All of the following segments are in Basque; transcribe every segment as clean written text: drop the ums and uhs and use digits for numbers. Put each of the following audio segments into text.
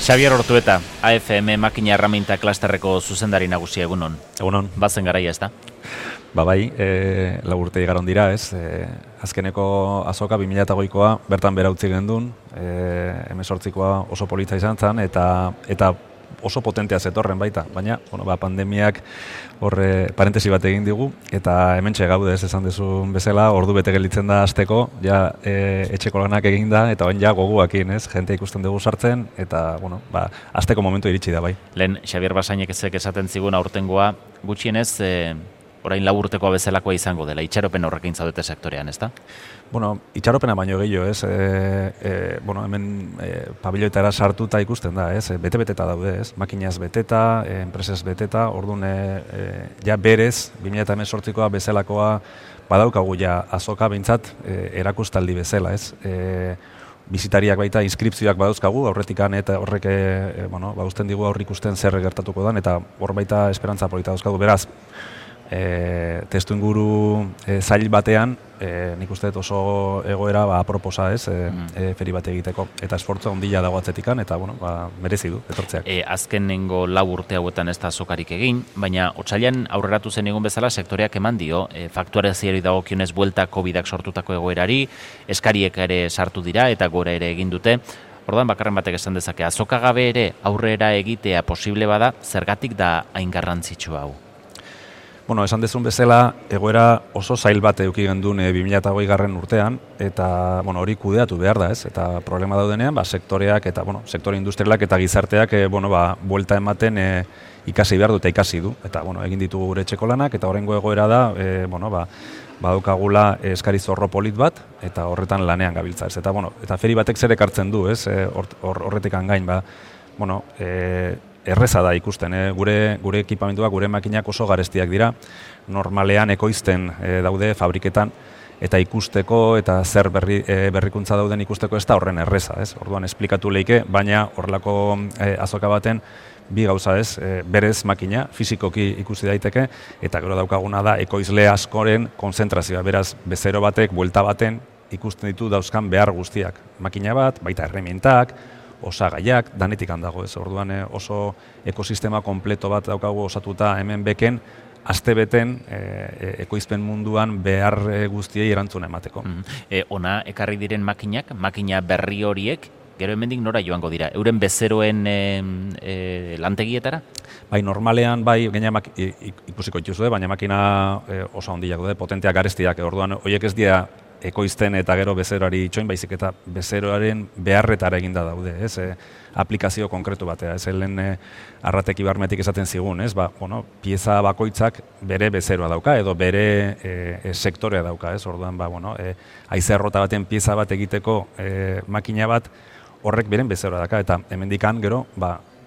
Xabier Ortueta, AFM makina erraminta klasterreko zuzendari nagusia egunon. Egunon. Bazen garaia ez da? Bai, 4 urte igaron dira, ez? Azkeneko azoka 2008koa bertan bera utzi gendun, 18koa oso polita izan zen, eta oso potentea zetorren baita, baina pandemiak horre parentesi bat egin digu, eta hementxe gaude ez esan dezun bezala, ordu bete gelditzen da hasteko, ja etxeko lanak egin da, eta bain ja goguakin, ez? Jente ikusten dugu sartzen, eta hasteko momentu iritsi da bai. Lehen, Xabier Basainek ezek esaten zigun aurtengoa gutxienez, orain 4 urtekoa bezalakoa izango dela, itxaropen horrekin zaudete sektorean, ez da? Itxaropena baino gehiago, ez? Hemen pabiloetara sartuta ikusten da, ez? Bete-beteta daude, ez? Makinaz beteta, enpresez beteta, orduan ja berez, 2018koa bezalakoa badaukagu ja azoka behintzat erakustaldi bezala, ez? Bizitariak baita inskripzioak badauzkagu, aurretikan eta horrek usten digu aurre ikusten zer gertatuko dan, eta hor baita esperantza polita dauzkagu, beraz, testu inguru zail batean, nik uste oso egoera aproposa ez, feri bat egiteko, eta esfortza ondila dago atzetikan, eta merezi du, etortzeak. Azkenengo 4 urte hauetan ez da azokarik egin, baina otsailean aurreratu zen egun bezala sektoreak eman dio, fakturazioari dagokionez buelta COVID-ak sortutako egoerari, eskariek ere sartu dira eta gora ere egin dute. Orduan bakarren batek esan dezake, azoka gabe ere aurrera egitea posible bada, zergatik da hain garrantzitsu hau? Esan dezun bezala, egoera oso zail bat eduki gendun 2008 urtean, eta hori kudeatu behar da, ez? Eta problema daudenean, sektoreak eta sektore industrialak eta gizarteak buelta ematen ikasi behar du eta ikasi du. Eta egin ditugu gure etxeko lanak, eta horrengo egoera da, badaukagula eskari zorro polit bat, eta horretan lanean gabiltza, ez? Eta feri batek zer ekartzen du, ez? Horretik gain, erreza da ikusten, gure ekipamentuak, gure makinak oso garestiak dira, normalean ekoizten daude fabriketan, eta ikusteko eta zer berrikuntza dauden ikusteko ez da horren erreza, ez? Orduan esplikatu leike, baina horrelako azoka baten bi gauza ez, berez makina, fizikoki ikusi daiteke, eta gero daukaguna da ekoizle askoren konzentrazioa, beraz bezero batek, buelta baten ikusten ditu dauzkan behar guztiak. Makina bat, baita herramientak, osagaiak, danetik handago ez, orduan oso ekosistema kompleto bat daukagu osatuta hemen beken, astebeten ekoizpen munduan behar guztiei erantzuna emateko. Ona ekarri diren makina berri horiek, gero hemendik nora joango dira? Euren bezeroen lantegietara? Bai, normalean, ikusiko dituzu, baina makina oso handiak daude, potenteak garestiak, orduan horiek ez dira ekoizten eta gero bezeroari itxoin, baizik eta bezeroaren beharretara eginda daude, ez? Aplikazio konkretu batea, ez? Helen arratek ibarmetik esaten zigun, ez? Pieza bakoitzak bere bezeroa dauka, edo bere sektorea dauka, ez? Orduan, haize errota baten pieza bat egiteko makina bat horrek beren bezeroa dauka, eta hemendikan gero,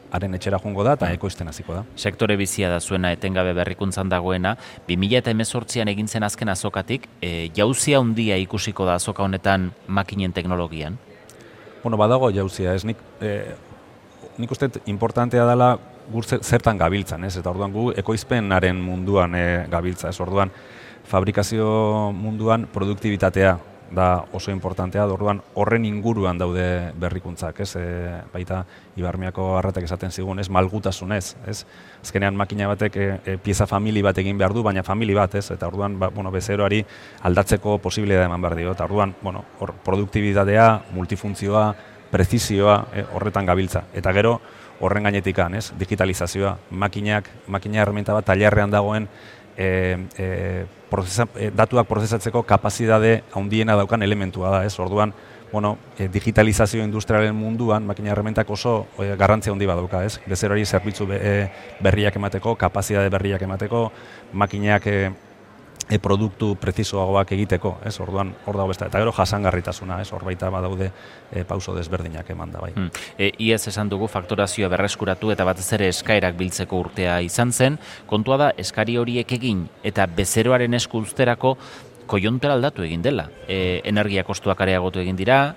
haren etxera joango da eta ekoizten hasiko da. Sektore bizia da zuena etengabe berrikuntzan dagoena, 2018an egin zen azken azokatik, jauzia handia ikusiko da azoka honetan makinen teknologian? Badago jauzia, ez? Nik uste importantea dela zertan gabiltzan, ez? Eta orduan gu ekoizpenaren munduan gabiltza, ez? Orduan fabrikazio munduan produktibitatea da oso importantea, orduan horren inguruan daude berrikuntzak, ez? Baita Ibarmiako arratek esaten zigun, ez? Malgutasunez, ez? Azkenean makina batek pieza famili bat egin behar du, baina famili bat, ez? Eta orduan bezeroari aldatzeko posibilitatea eman behar dio, eta orduan produktibitatea, multifuntzioa, prezizioa horretan gabiltza. Eta gero horren gainetikan, ez? Digitalizazioa, makina herramienta bat tailerrean dagoen datuak prozesatzeko kapazitate handiena daukan elementua da, ez? Orduan, digitalizazio industrialen munduan makina herramientak oso garrantzia handi badauka, ez? Bezeroari zerbitzu berriak emateko, kapazitate berriak emateko, makinak produktu prezisoagoak egiteko, ez? Orduan, hor dago beste. Eta gero jasangarritasuna, ez? Hor baita badaude pauso desberdinak eman da, bai. Iaz esan dugu fakturazioa berreskuratu eta batez ere eskaerak biltzeko urtea izan zen. Kontua da, eskari horiek egin eta bezeroaren esku uzterako koiontera aldatu egin dela. Energia kostuak areagotu egin dira,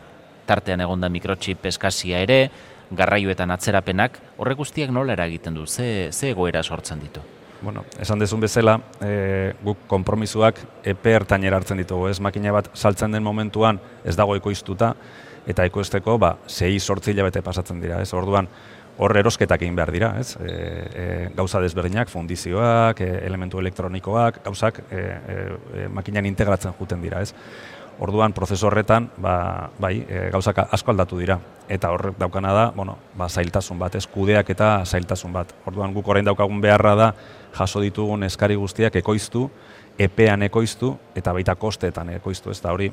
tartean egonda mikrochip eskazia ere, garraioetan atzerapenak, horrek guztiak nola eragiten du, ze egoera sortzen ditu? Esan dezun bezala, guk konpromisoak epe ertainera hartzen ditugu, ez? Makina bat saltzen den momentuan ez dago ekoiztuta, eta ekoizteko 6-8 hilabete pasatzen dira, ez? Orduan, hor erosketak egin behar dira, ez? Gauza desberdinak, fundizioak, elementu elektronikoak, gauzak makinan integratzen juten dira, ez? Orduan, prozesu horretan, gauzak asko aldatu dira. Eta horrek daukana da, zailtasun bat, ez? Kudeak eta zailtasun bat. Orduan, guk orain daukagun beharra da, jaso ditugun eskari guztiak ekoiztu, epean ekoiztu eta baita kosteetan ekoiztu, ez da hori,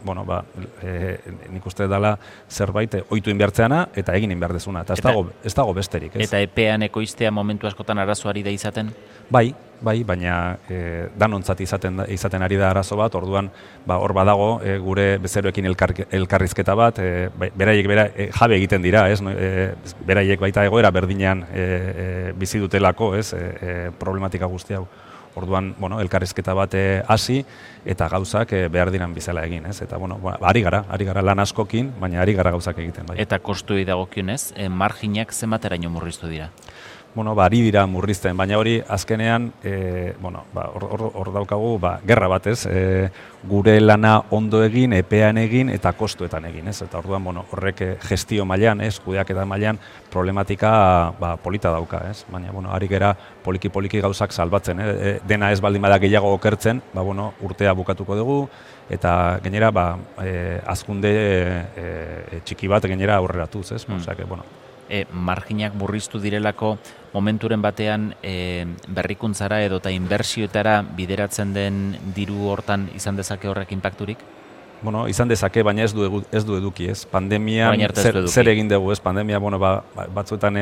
nik uste dela zerbait ohitu inbertzeana eta egin inberdezuna, eta ez dago besterik, ez? Eta epean ekoiztea momentu askotan arazoari da izaten? Bai, baina danontzat izaten ari da arazo bat, orduan hor badago gure bezeroekin elkarrizketa bat, beraiek jabe egiten dira, ez? Beraiek baita egoera berdinean bizi dutelako, ez? Problematika guzti hau. Orduan, elkarrizketa bat hasi eta gauzak behar diran bizala egin, ez? Eta, ari gara lan askokin, baina ari gara gauzak egiten, bai. Eta kostuei dagokionez, marginak zenbateraino murriztu dira? Ari dira murrizten, baina hori azkenean, hor daukagu, gerra bat, ez? Gure lana ondo egin, epean egin eta kostuetan egin, ez? Eta orduan, horrek gestio mailan, ez? Kudeaketa mailan problematika polita dauka, ez? Baina, ari gera poliki-poliki gauzak salbatzen, dena ez baldin bada gehiago okertzen, urtea bukatuko dugu, eta gainera, hazkunde txiki bat gainera aurreratuz, ez? Marginak murriztu direlako momenturen batean berrikuntzara edota inbertsioetara bideratzen den diru hortan izan dezake horrek inpakturik? Izan dezake, baina ez du eduki, ez? Pandemian zer egin dugu, ez? Pandemia, batzuetan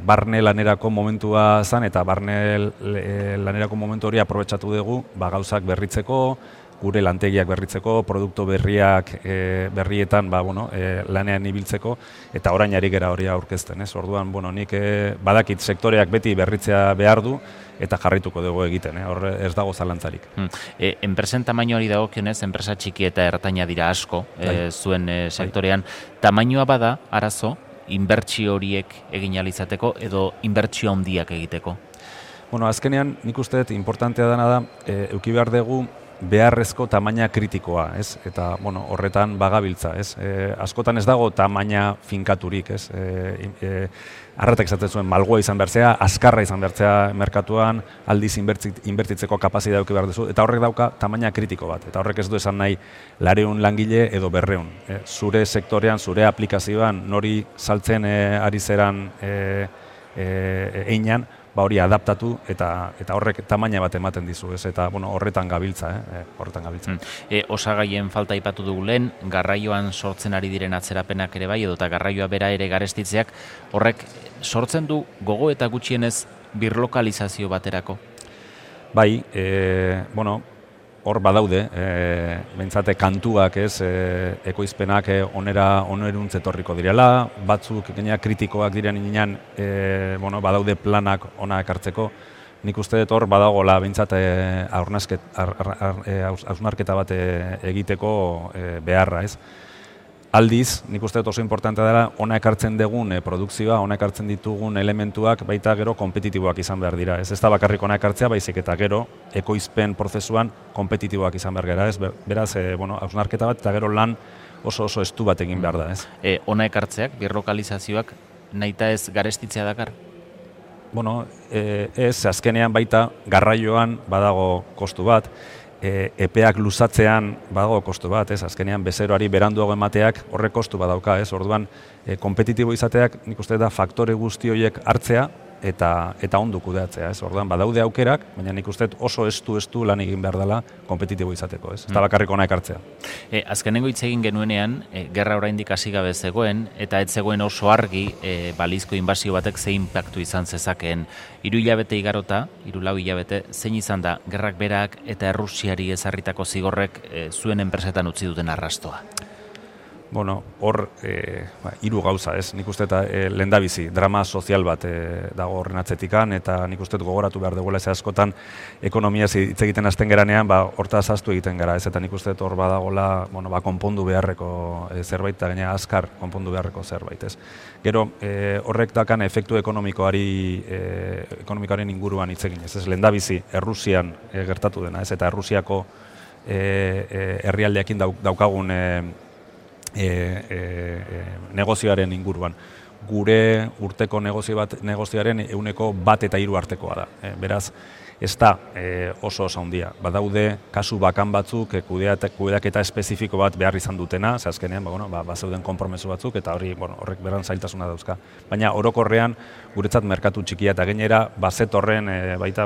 barne lanerako momentua zen, eta barne lanerako momentu hori aprobetxatu dugu, gauzak berritzeko, gure lantegiak berritzeko, produktu berrietan lanean ibiltzeko, eta orain ari gera hori aurkezten, ez? Orduan, nik badakit sektoreak beti berritzea behar du, eta jarrituko dugu egiten, hor ez dago zalantzarik. Enpresen tamainoari dagokionez, enpresa txiki eta ertaina dira asko, zuen sektorean. Tamainoa bada, arazo, inbertsio horiek egin ahal izateko, edo inbertsio handiak egiteko? Azkenean, nik uste dut, importantea dena da, eduki behar dugu, beharrezko tamaina kritikoa, ez? Eta, horretan bagabiltza, ez? Askotan ez dago tamaina finkaturik, ez? Arratak esaten zuen, malgoa izan bertzea, azkarra izan bertzea merkatuan, aldiz inbertitzeko kapazitatea eduki behar duzu, eta horrek dauka tamaina kritiko bat, eta horrek ez du esan nahi 200 langile edo 200. Zure sektorean, zure aplikazioan, nori saltzen ari zeran einan, hori adaptatu eta horrek tamaina bat ematen dizu, ez? Eta horretan gabiltza, Osagaien falta aipatu dugu lehen, garraioan sortzen ari diren atzerapenak ere bai, edota garraioa bera ere garestitzeak, horrek sortzen du gogo eta gutxienez birlokalizazio baterako? Bai, hor badaude, behintzate kantuak, ez, ekoizpenak oneruntz etorriko direla, batzuk gaina kritikoak diren inean, badaude planak ona ekartzeko. Nik uste dut hor badagoela behintzat hausnarketa bat egiteko beharra, ez. Aldiz, nik uste dut oso importantea dela, ona ekartzen dugun produkzioa, ona ekartzen ditugun elementuak baita gero kompetitiboak izan behar dira. Ez da bakarrik ona ekartzea, baizik eta gero ekoizpen prozesuan kompetitiboak izan behar gara. Ez? Beraz, hausnarketa bat eta gero lan oso estu bat egin behar da. Ez? Ona ekartzeak, birlokalizazioak, nahita ez garestitzea dakar? Ez, azkenean baita garraioan badago kostu bat, epeak luzatzean badago kostu bat, ez? Azkenean bezeroari beranduago emateak horrek kostu badauka, ez? Orduan, kompetitibo izateak nik uste da faktore guzti horiek hartzea eta ondo kudeatzea, ez? Orduan, badaude aukerak, baina nik uste oso estu lan egin behar dela kompetitibo izateko, ez? Eta bakarrik ona ekartzea. Azkenengo hitz egin genuenean, gerra oraindik hasi gabe zegoen, eta ez zegoen oso argi balizko inbasio batek zein inpaktu izan zezakeen. 3 hilabete igarota, 3-4 hilabete, zein izan da gerrak berak eta Errusiari ezarritako zigorrek zuen enpresetan utzi duten arrastoa? Hor, 3 gauza, ez? Nik uste eta lehendabizi, drama sozial bat dago horren atzetikan, eta nik uste gogoratu behar duguela ez askotan ekonomia hitz egiten hasten geranean, hortaz ahaztu egiten gara, ez? Eta nik uste hor badagola, konpondu beharreko zerbait, eta gaina azkar konpondu beharreko zerbait, ez? Gero, horrek dakan efektu ekonomikoaren inguruan hitz egin, ez? Lehendabizi, Errusian gertatu dena, ez? Eta Errusiako herrialdeekin daukagun negozioaren inguruan. Gure urteko negozioaren 1% artekoa da. Beraz, ez da oso handia. Badaude kasu bakan batzuk kudeaketa espezifiko bat behar izan dutena, ze azkenean bazeuden konpromesu batzuk eta horrek beran zailtasuna dauzka. Baina orokorrean guretzat merkatu txikia eta gainera bazetorren baita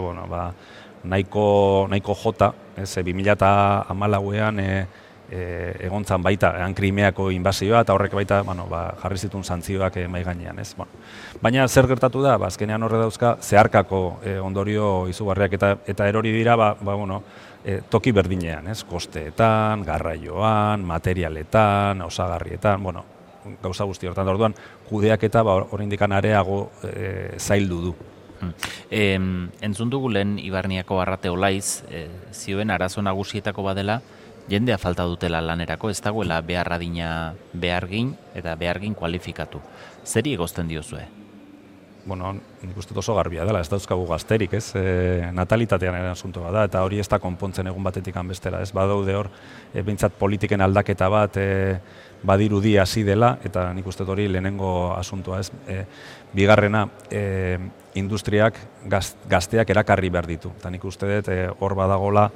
nahiko jota, 2014ean egontzan baita Krimeako inbasioa eta horrek baita jarri zituen santzioak mahai gainean, ez? Baina zer gertatu da? Azkenean horre dauzka zeharkako ondorio izugarriak eta erori dira toki berdinean, ez? Kosteetan, garraioan, materialetan, osagarrietan, gauza guzti hortan. Orduan kudeaketa oraindik areago zaildu du. Entzun dugu lehen Ibarniako Arrate Olaiz, zioen arazo nagusietako badela, jendea falta dutela lanerako, ez dagoela beharradina behargin eta behargin kualifikatu. Zeri egozten diozue? Nik uste oso garbia dela, ez dauzkagu gazterik, ez? Natalitatean asunto da, eta hori ez da konpontzen egun batetik bestera, ez? Badaude hor, behintzat politiken aldaketa bat badirudi hasi dela, eta nik uste hori lehenengo asuntoa, ez? Bigarrena, industriak gazteak erakarri behar ditu, eta nik uste dut hor badagola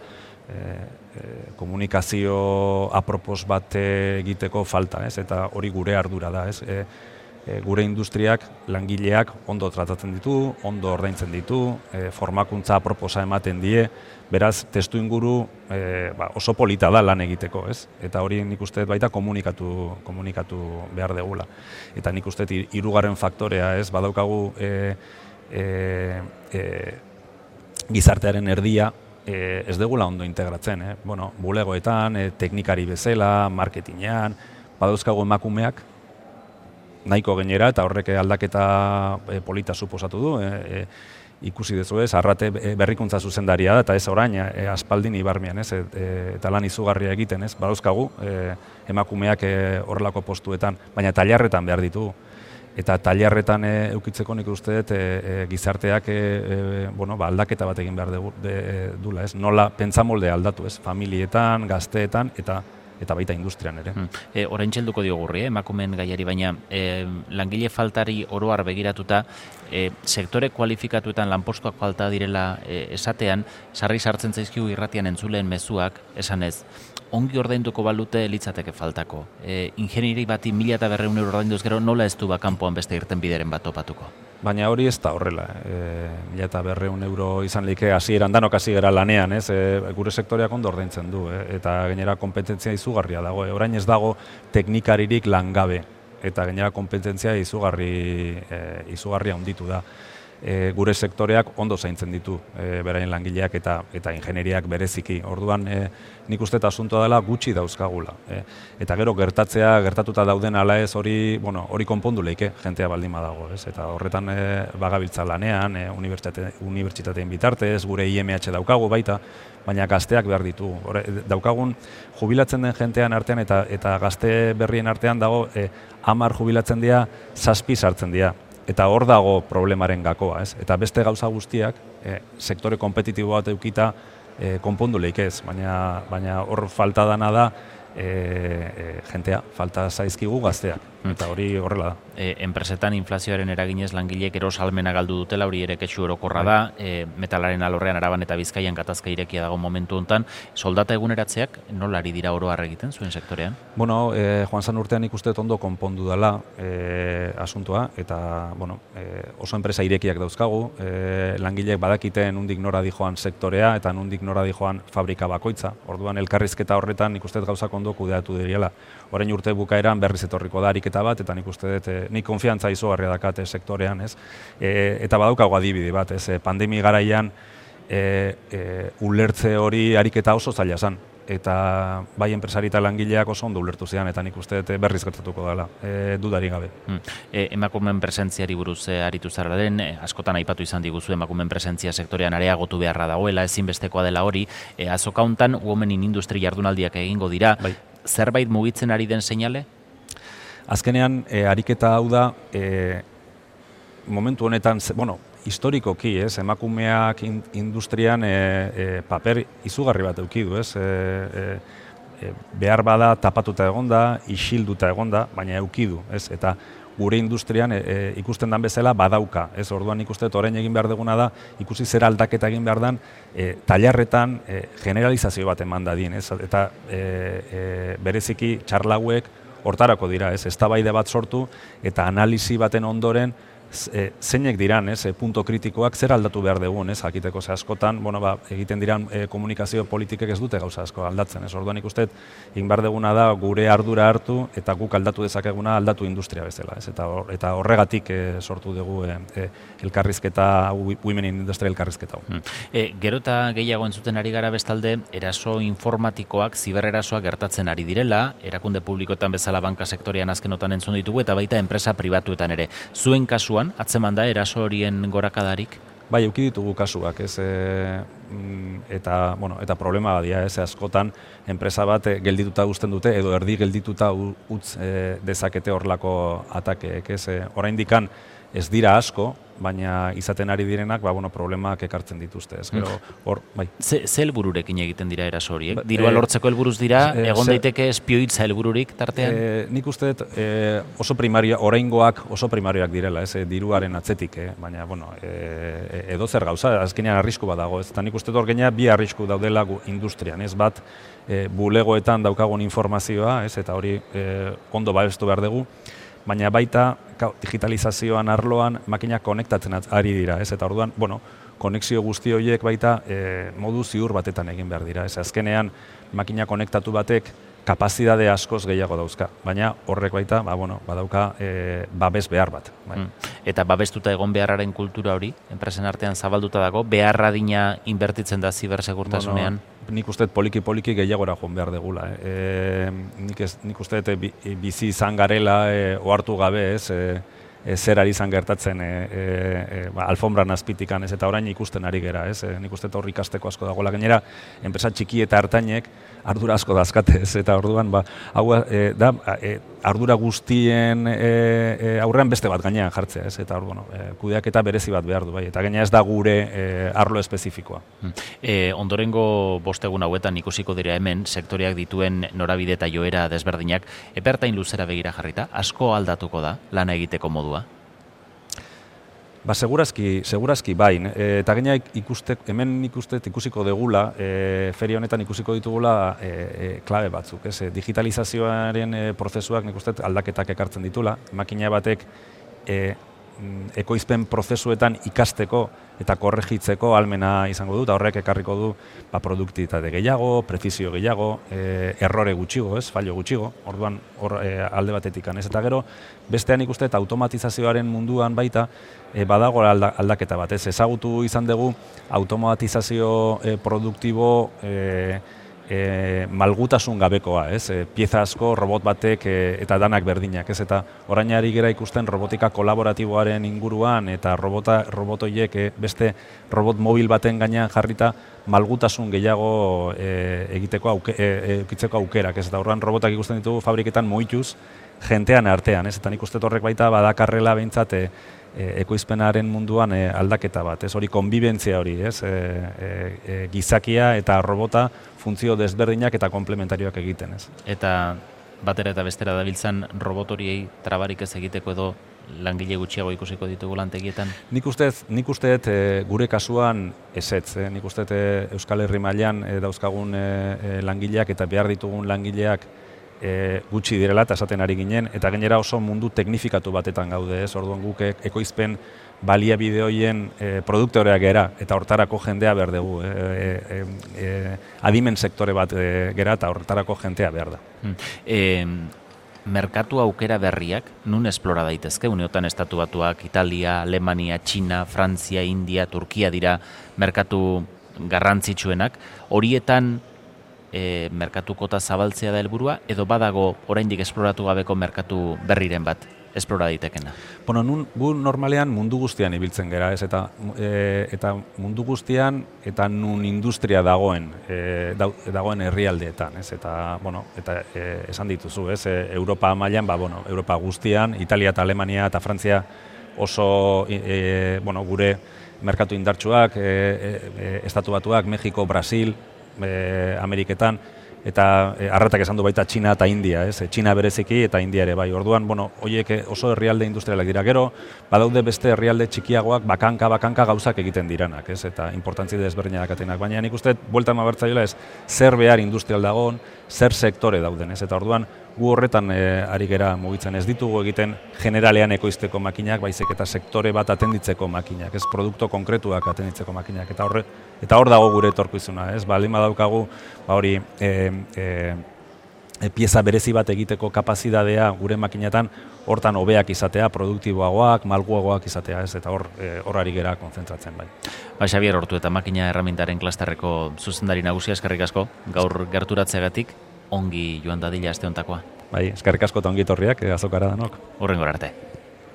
komunikazio apropos bat egiteko falta, ez? Eta hori gure ardura da, ez? Gure industriak, langileak ondo tratatzen ditu, ondo ordaintzen ditu, formakuntza aproposa ematen die, beraz, testu inguru oso polita da lan egiteko, ez? Eta hori nik uste baita komunikatu behar degula. Eta nik uste hirugarren faktorea, ez? Badaukagu gizartearen erdia, ez degula ondo integratzen, bulegoetan, teknikari bezala, marketingean, badauzkagu emakumeak, nahiko gainera, eta horrek aldaketa polita suposatu du, ikusi dezu ez, Arrate berrikuntza zuzendaria da, eta ez orain, aspaldin Ibarmian, ez, eta lan izugarria egiten, ez, badauzkagu emakumeak horrelako postuetan, baina tailarretan behar ditugu. Eta tailarretan eukitzeko nik uste dut gizarteak aldaketa bat egin behar dula, ez? Nola pentsamolde aldatu, ez? Familietan, gazteetan eta baita industrian ere. Orain txelduko diogurri, emakumeen gaiari, baina langile faltari oroar begiratuta, sektore kualifikatuetan lanpostuak falta direla esatean, sarri sartzen zaizkigu irratian entzuleen mezuak, esanez, ongi ordainduko balute litzateke faltako. Ingenieri bati 1.200 euro ordainduz gero, nola ez du kanpoan beste irten bideren bat topatuko? Baina hori ez da horrela. 1.200 euro izan like hasieran danok hasi gara lanean, ez? Gure sektoreak ondo ordaintzen du, eta gainera kompetentzia izugarria dago. Orain ez dago teknikaririk langabe, eta gainera kompetentzia izugarria handitu da. Gure sektoreak ondo zaintzen ditu beraien langileak eta ingenieriak bereziki. Orduan nik uste eta asuntoa dela gutxi dauzkagula. Eta gero gertatuta dauden ala ez hori konpondu leike jentea baldin badago. Eta horretan bagabiltza lanean, unibertsitateen bitartez, gure IMH daukagu baita, baina gazteak behar ditu. Daukagun jubilatzen den jentean artean eta gazte berrien artean dago 10 jubilatzen dira, 7 sartzen dira. Eta hor dago problemaren gakoa, ez? Eta beste gauza guztiak, sektore kompetitibo bat eukita konpondu leikez, baina hor falta dana da jentea, falta zaizkigu gazteak, eta hori horrela da. Enpresetan inflazioaren eraginez langileek erosalmena galdu dutela, hori ere kexu orokorra da, metalaren alorrean Araban eta Bizkaian gatazka irekia dago momentu hontan. Soldata eguneratzeak nola ari dira oro har egiten zuen sektorean? Joan zan urtean ikuste ondo konpondu dela asuntoa, eta oso enpresa irekiak dauzkagu, langileek badakiten nondik nora dijoan sektorea eta nondik nora dijoan fabrika bakoitza. Orduan elkarrizketa horretan ikuste gauzak ondo kudeatu diriela. Orain urte bukaeran berriz etorriko da ariketa bat, eta nik uste dut nik konfiantza izugarria dakate sektorean, ez? Eta badaukago adibide bat, ez? Pandemi garaian ulertze hori ariketa oso zaila zen. Eta bai enpresari eta langileak oso ondo ulertu zian, eta nik uste dut berriz gertatuko dela, dudarik gabe. Emakumeen presentziari buruz aritu zara den, askotan aipatu izan diguzu emakumeen presentzia sektorean areagotu beharra dagoela, ezinbestekoa dela hori, azoka hontan Women in Industry jardunaldiak egingo dira, bai. Zerbait mugitzen ari den seinale? Azkenean, ariketa hau da, momentu honetan, historikoki, emakumeak industrian paper izugarri bat eduki du, behar bada tapatuta egonda, isilduta egonda, baina eukidu, ez? Eta gure industrian ikusten dan bezala badauka, ez? Orduan ikuste orain egin behar duguna da, ikusi zer aldaketa egin behar dan, tailarretan generalizazio bat eman dadin, ez? Eta bereziki txarlauek hortarako dira, ez? Eztabaide bat sortu eta analisi baten ondoren zeinek diran, punto kritikoak zer aldatu behar dugun, jakiteko ze askotan, egiten diran komunikazio politikek ez dute gauza asko aldatzen, orduan ikusten egin behar duguna da gure ardura hartu eta guk aldatu dezakeguna aldatu industria bezala, eta horregatik sortu dugu elkarrizketa, Women in Industry elkarrizketa. Gero eta gehiago entzuten ari gara bestalde, eraso informatikoak, zibererasoak gertatzen ari direla, erakunde publikoetan bezala banka sektorean azkenotan entzun ditugu, eta baita enpresa pribatuetan ere. Zuen kasuan, atzeman da eraso horien gorakadarik? Bai, eduki ditugu kasuak, eta problema badia, askotan enpresa bat geldituta uzten dute edo erdi geldituta utz dezakete horlako atakeek, oraindikan ez dira asko, baina izaten ari direnak, problemak ekartzen dituzte, Gero, hor, bai. Ze helbururekin egiten dira eraso horiek? Dirua lortzeko helburuz dira, egon daiteke espioitza helbururik tartean? Nik uste oso primario, oraingoak oso primarioak direla, diruaren atzetik, baina, edo zer gauza, azkenean arrisku bat dago, eta nik uste hor gaina bi arrisku daudela industrian, bat bulegoetan daukagun informazioa, eta hori ondo babestu behar dugu, baina baita digitalizazioan arloan makinak konektatzen ari dira, eta orduan, konexio guzti horiek baita modu ziur batetan egin behar dira. Azkenean, makina konektatu batek kapazitate askoz gehiago dauzka, baina horrek baita badauka babes behar bat. Eta babestuta egon beharraren kultura hori, enpresen artean zabalduta dago, beharra dina inbertitzen da zibersegurtasunean? Nik uste poliki gehiagora joan behar degula. Nik uste bizi izan garela ohartu gabe, zer ari izan gertatzen alfombran azpitikan, eta orain ikusten ari gera, nik uste horri ikasteko asko dagoela. Gainera, enpresa txiki eta hartainek ardura asko dazkate, eta orduan, ardura guztien aurrean beste bat gainean jartzea, eta orduan, kudeaketa berezi bat behar du, eta gainera ez da gure arlo espezifikoa. Ondorengo bostegun hauetan ikusiko dira hemen, sektoreak dituen norabide eta joera desberdinak, epertain luzera begira jarrita, asko aldatuko da lana egiteko modua? Segurazki bai, eta gaina hemen ikusiko degula, feria honetan ikusiko ditugula klabe batzuk. Digitalizazioaren prozesuak nik uste aldaketak ekartzen ditula, makina batek ekoizpen prozesuetan ikasteko eta korregitzeko ahalmena izango du, eta horrek ekarriko du produktibitate gehiago, prezisio gehiago, errore gutxigo, fallo gutxigo, orduan alde batetik. Eta gero, bestean ikuste eta automatizazioaren munduan baita badago aldaketa bat. Ezagutu izan dugu automatizazio produktibo malgutasun gabekoa, pieza asko, robot batek eta danak berdinak, eta orain ari gera ikusten robotika kolaboratiboaren inguruan eta robotoiek beste robot mobil baten gainean jarrita malgutasun gehiago eukitzeko aukerak, eta horren robotak ikusten ditugu fabriketan moituz jentean artean, eta nik uste horrek baita badakarrela behintzat ekoizpenaren munduan aldaketa bat, hori konbibentzia hori, gizakia eta robota funtzio desberdinak eta komplementarioak egiten. Eta batera eta bestera dabiltzan robot horiei trabarik ez egiteko edo langile gutxiago ikusiko ditugu lantegietan? Nik uste gure kasuan ezetz. Nik uste Euskal Herri mailan dauzkagun langileak eta behar ditugun langileak gutxi direla eta esaten ari ginen, eta gainera oso mundu teknifikatu batetan gaude, orduan guk ekoizpen baliabide horien produktoreak gera, eta hortarako jendea behar dugu, adimen sektore bat gera, eta hortarako jendea behar da. Merkatu aukera berriak nun esplora daitezke? Uneotan Estatu Batuak, Italia, Alemania, Txina, Frantzia, India, Turkia dira merkatu garrantzitsuenak. Horietan merkatu kota zabaltzea da helburua, edo badago oraindik esploratu gabeko merkatu berriren bat esplora daitekena? Gu normalean mundu guztian ibiltzen gera, eta mundu guztian eta nun industria dagoen herrialdeetan, eta esan dituzu, Europa mailan, Europa guztian, Italia eta Alemania eta Frantzia oso gure merkatu indartsuak, Estatu Batuak, Mexiko, Brasil, Ameriketan, eta arratak esan du baita Txina eta India, ez? Txina bereziki eta India ere bai. Orduan, horiek oso herrialde industrialak dira. Gero, badaude beste herrialde txikiagoak bakanka gauzak egiten diranak, ez? Eta importantzi desberdinak atenak. Baina nik uste, buelta emabertzaiola ez, zer behar industrial dagoen, zer sektore dauden, ez? Eta orduan, gu horretan ari gera mugitzen. Ez ditugu egiten generalean ekoizteko makinak, baizik eta sektore bat atenditzeko makinak, ez? Produkto konkretuak atenditzeko makinak. Eta hor dago gure etorkizuna, ez? Baldin badaukagu, hori pieza berezi bat egiteko kapazitatea gure makinetan hortan hobeak izatea, produktiboagoak, malguagoak izatea, ez? Eta hor ari gera kontzentratzen bai. Xabier Ortu eta makina erramintaren klasterreko zuzendari nagusia, eskerrik asko, gaur gerturatzeagatik, ongi joan dadila aste hontakoa. Bai, eskerrik asko eta ongi etorriak azokara danok. Hurrengora arte.